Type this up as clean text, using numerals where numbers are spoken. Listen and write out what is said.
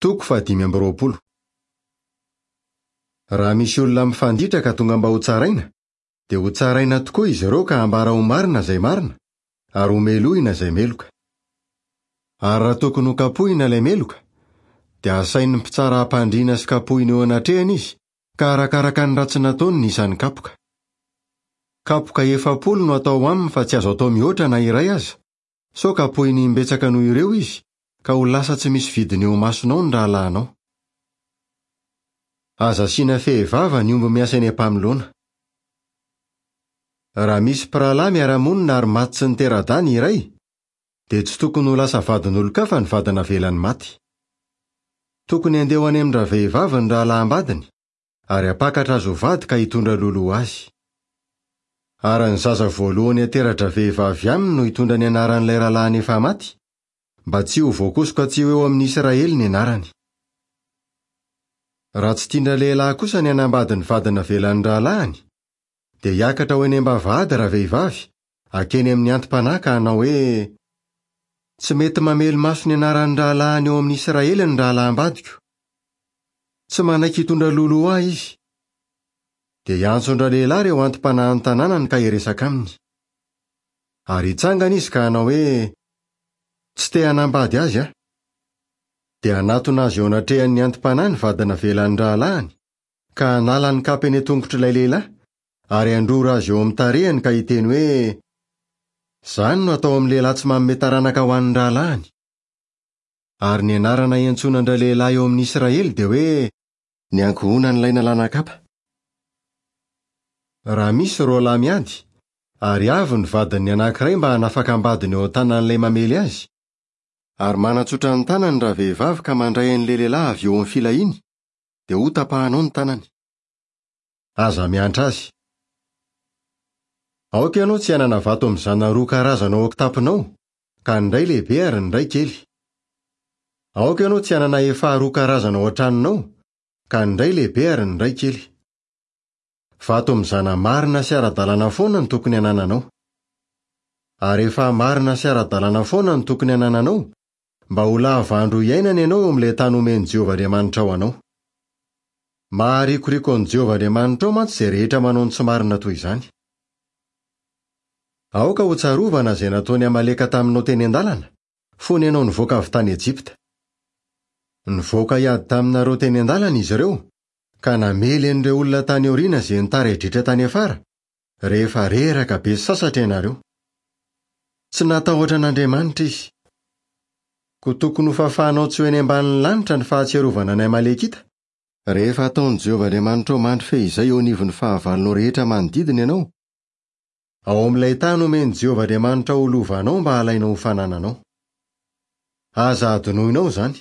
Toko faha-25. Raha misy olona mifanditra ka tonga mba hotsaraina, dia hotsaraina tokoa izy ireo ka hambara ho marina izay marina, ary homelohina izay meloka. Ary raha tokony hokapohina ilay meloka, dia hasain'ny mpitsara hampandriana sy kapohina eo anatrehany izy, ka arakaraka ny ratsy nataony ny isan'ny kapoka. Kapoka 40 no atao aminy fa tsy azo atao mihoatra na iray aza, sao kapohiny imbetsaka noho ireo izy, ka ho lasa tsy misy vidiny eo imasonao ny rahalahinao. Aza asiana fehivava ny omby miasa eny am-pamoloana. Raha misy mpirahalahy miara-monina ary maty tsy nitera-dahy ny iray, dia tsy tokony ho lasa vadin'olon-kafa ny vady navelany maty. Tokony handeha ho any amin-dravehivavy ny rahalahim-badiny, ary hampakatra azy ho vady ka hitondra loloha azy. Ary ny zaza voalohany hatera-dravehivavy aminy no hitondra ny anaran'ilay rahalahiny efa maty, mba tsy ho voakosoka tsy ho eo amin'ny Israely ny anarany. Raha tsy tian-dralehilahy kosa ny hanambady ny vady navelan'ny rahalahiny, dia hiakatra ho eny am-bavahady ravehivavy, hankeny amin'ny anti-panahy ka hanao hoe, Tsy mety mamely maso ny anaran'ny rahalahiny eo amin'ny Israely ny rahalahim-badiko. Tsy manaiky hitondra loloha ahy izy. Dia hiantso an-dralehilahy ireo anti-panahin'ny tanànany ka hiresaka aminy. Ary hitsangana izy ka hanao hoe, Tsy te hanambady azy aho. Dia hanatona azy eo anatrehan'ny anti-panahy ny vady navelan'ny rahalahiny, ka hanala ny kapa eny an-tongotr'ilay lehilahy, ary handrora azy eo amin'ny tarehiny ka hiteny hoe, Izany no atao amin'ny lehilahy tsy manome taranaka ho an'ny rahalahiny. Ary ny anarana iantsoana an-dralehilahy eo amin'ny Israely dia hoe, Ny ankohonan'ilay nalana kapa. Raha misy roa lahy miady, ary avy ny vadin'ny anankiray mba hanafaka am-badiny eo an-tanan'ilay mamely azy, ary manatsotra ny tanany ravehivavy ka mandray an'ilay lehilahy avy eo amin'ny filahiany, dia hotapahanao ny tanany. Aza miantra azy. Aoka ianao tsy hanana vato mizana roa karazana ao an-kitaponao, ka ny iray lehibe ary ny iray kely. Aoka ianao tsy hanana efaha roa karazana ao an-tranonao, ka ny iray lehibe ary ny iray kely. Vato mizana marina sy ara-dalàna foana no tokony hanananao. Ary efaha marina sy ara-dalàna foana no tokony hanananao, mba ho lava andro hiainana ianao eo amin'ilay tany omen'i Jehovah Andriamanitrao anao. Maharikoriko an'i Jehovah Andriamanitrao mantsy izay rehetra manao ny tsy marina toy izany. Aoka hotsarovana izay nataon'i Amaleka taminao teny an-dalana, fony ianao nivoaka avy tany Ejipta. Nivoaka hiady taminareo teny an-dalana izy ireo, ka namely an'ireo olona tany aoriana izay nitaredretra tany afara, rehefa reraka be sy sasatra ianareo. Tsy natahotra an'Andriamanitra izy. Koa tokony hofafanao tsy ho eny ambanin'ny lanitra ny fahatsiarovana ny Amalekita, rehefa ataon'i Jehovah Andriamanitrao mandry feizay eo anivon'ny fahavalonao rehetra manodidina ianao, ao amin'ilay tany omen'i Jehovah Andriamanitrao ho lovanao mba halainao ho fanananao. Aza hadinoinao izany.